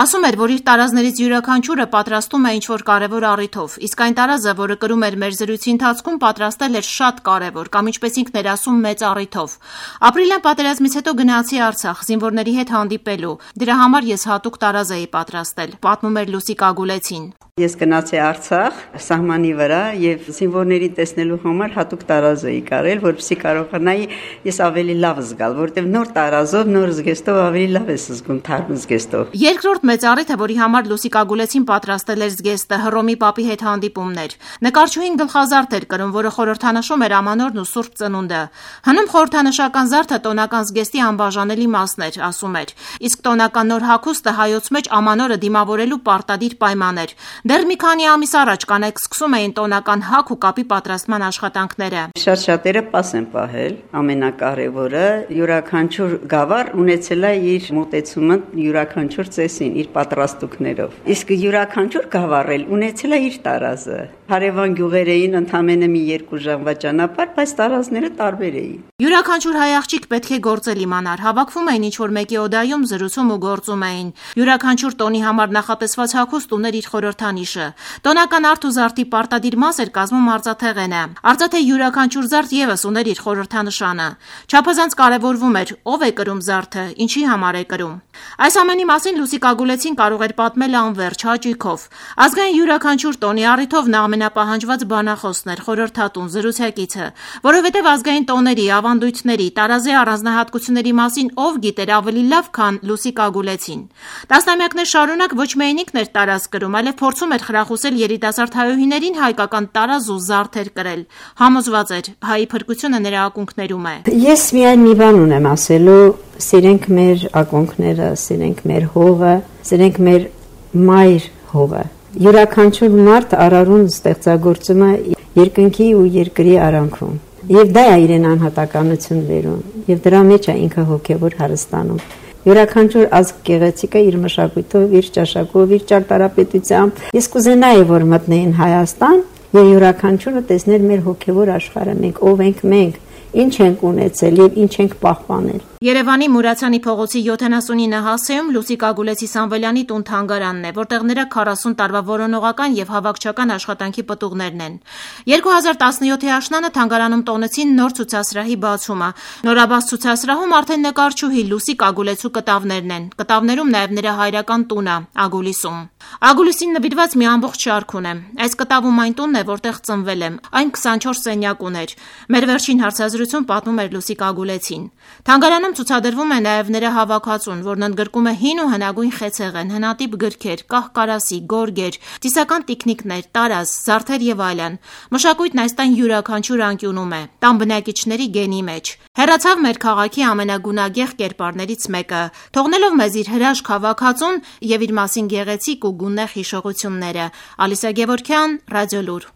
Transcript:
Ասում էր, որ իր տարազներից յուրաքանչյուրը պատրաստում է ինչ-որ կարևոր առիթով, իսկ այն տարազը, որը կրում էր մեր զրույցի ընթացքում, պատրաստել էր շատ կարևոր կամ ինչպես ինքն էր ասում, մեծ առիթով։ Ապրիլյան պատերազմից հետո գնացի Արցախ զինվորների հետ հանդիպելու։ Դրա համար ես հատուկ տարազ էի պատրաստել, պատմում էր Լուսիկ Ագուլեցին։ Ես գնացի Արցախ սահմանի վրա եւ զինվորներին տեսնելու համար հատուկ տարազ էի կարել, որպեսզի կարողանայի ես ավելի լավ զգալ, որտեղ նոր տարազով, նոր զգեստով ավելի լավ ես զգում թարմ զգեստով։ Երկրորդ մեծ առիթը, որի համար Լուսիկ Ագուլեցին պատրաստել էր զգեստը, Հռոմի Պապի հետ հանդիպումներ։ Նկարչուհին գլխազարդ էր կրում, որը խորհրդանշում էր Ամանորն ու Սուրբ Ծնունդը։ Հնում խորհրդանշական զարդը տոնական զգեստի անբաժանելի մասն էր, ասում էր։ Իսկ տոնական նոր հագուստը հայոց մեջ Ամանորը դիմավորելու պարտադիր պայման էր։ Դեռ մի քանի ամիս առաջ կանայք սկսում էին տոնական հագ ու կապի պատրաստման աշխատանքները։ Շատ-շատերը պաս են պահել, ամենակարևորը յուրաքանչյուր գավառ ունեցել է իր մոտեցումը յուրաքանչյուր ծեսին, իր պատրաստուկներով։ Իսկ յուրաքանչյուր գավառ էլ ունեցել է իր տարազը։ Հարևան գյուղեր էին ընդամենը մի 2 ժամվա ճանապարհ, բայց տարազները տարբեր էին։ Յուրաքանչյուր հայ աղջիկ պետք է գործել իմանար, հավաքվում էին ինչ-որ մեկի օդայում, զրուցում ու գործում էին։ Յուրաքանչյուր տոնի համար նախատեսված հագուստ ուներ իր խորհրդանիշը։ Տոնական արդ ու զարդի պարտադիր մաս էր կազմում արծաթեղենը։ Արծաթե յուրաքանչյուր զարդ եւս ուներ իր խորհրդանշանը։ Չափազանց կարևորվում էր ով է կրում զարդը, ինչի համար է կրում։ Այս ամենի մասին Լուսիկ Ագուլեցին կարող էր պատմել անվերջ հաճույքով։ Ազգային յուրաքանչյուր տոնի առիթով նա ամենապահանջված բանախոսն էր, խորհրդատուն, զրուցակիցը, որովհետև ազգային տոների, ավանդույթների, տարազի առանձնահատկությունների մասին ով գիտեր ավելի լավ, քան Լուսիկ Ագուլեցին։ Տասնամյակներ շարունակ ոչ միայն ինքն էր տարազ կրում, այլև փորձում էր խրախուսել երիտասարդ հայուհիներին հայկական տարազ ու զարդեր կրել։ Համոզված էր, հայի փրկությունը նրա ակունքներում է։ Ես միայն մի բան ունեմ ասելու, սիրենք մեր ակունքները, սիրենք մեր հողը, սիրենք մեր մայր հողը։ Յուրաքանչյուր մարդ արարուն ստեղծագործում է երկնքի ու երկրի արանքում։ Եվ դա է իրեն անհատականություն բերում, եւ դրա մեջ է ինքը հոգեվոր հարստանում։ Յուրաքանչյուր ազգ գեղեցիկը իր մշակույթով, իր ճաշակով, իր ճարտարապետությամբ։ Ես կուզենայի, որ մտնեին Հայաստան եւ յուրաքանչյուրը տեսներ մեր հոգեվոր աշխարհը, մենք ով ենք մենք, ինչ ենք ունեցել եւ ինչ ենք պահպանել։ Երևանի Մուրացյանի փողոցի 79 հասեում Լուսիկ Ագուլեցի Սամվելյանի տուն-թանգարանն է, որտեղ նրա 40 տարվա որոնողական եւ հավաքչական աշխատանքի պտուղներն են։ 2017-ի աշնանը թանգարանում տոնեցին նոր ցուցասրահի բացումը։ Նորաբաց ցուցասրահում արդեն նկարչուհի Լուսիկ Ագուլեցու կտավներն են։ Կտավներում նաեւ նրա հայրական տունը Ագուլիսում։ Ագուլիսին նվիրված մի ամբողջ շարք ունեմ։ Այս կտավում այն տունն է, որտեղ ծնվել եմ։ Այն 24 սենյակ ուներ։ Մեր վերջին հարցազրույցում պատմում էր Լուսիկ Ագուլեցին։ Թանգարանում ցուցադրվում է նաև նրա հավաքածուն, որն ընդգրկում է հին ու հնագույն խեցեղեն, հնատիպ գրքեր, կահ-կարասի, գորգեր, ծիսական տիկնիկներ, տարազ, զարդեր եւ այլն։ Մշակույթն այս տան յուրաքանչյուր անկյունում է, տան բնակիչների գենի մեջ։ Հեռացավ մեր քաղաքի ամենագունագեղ կերպարներից մեկը, թողնելով մեզ իր հրաշք հավաքածուն եւ իր մասին գեղեցիկ ու գունեղ հիշողությունները։ Ալիսա Գևորգյան, Ռադիոլուր։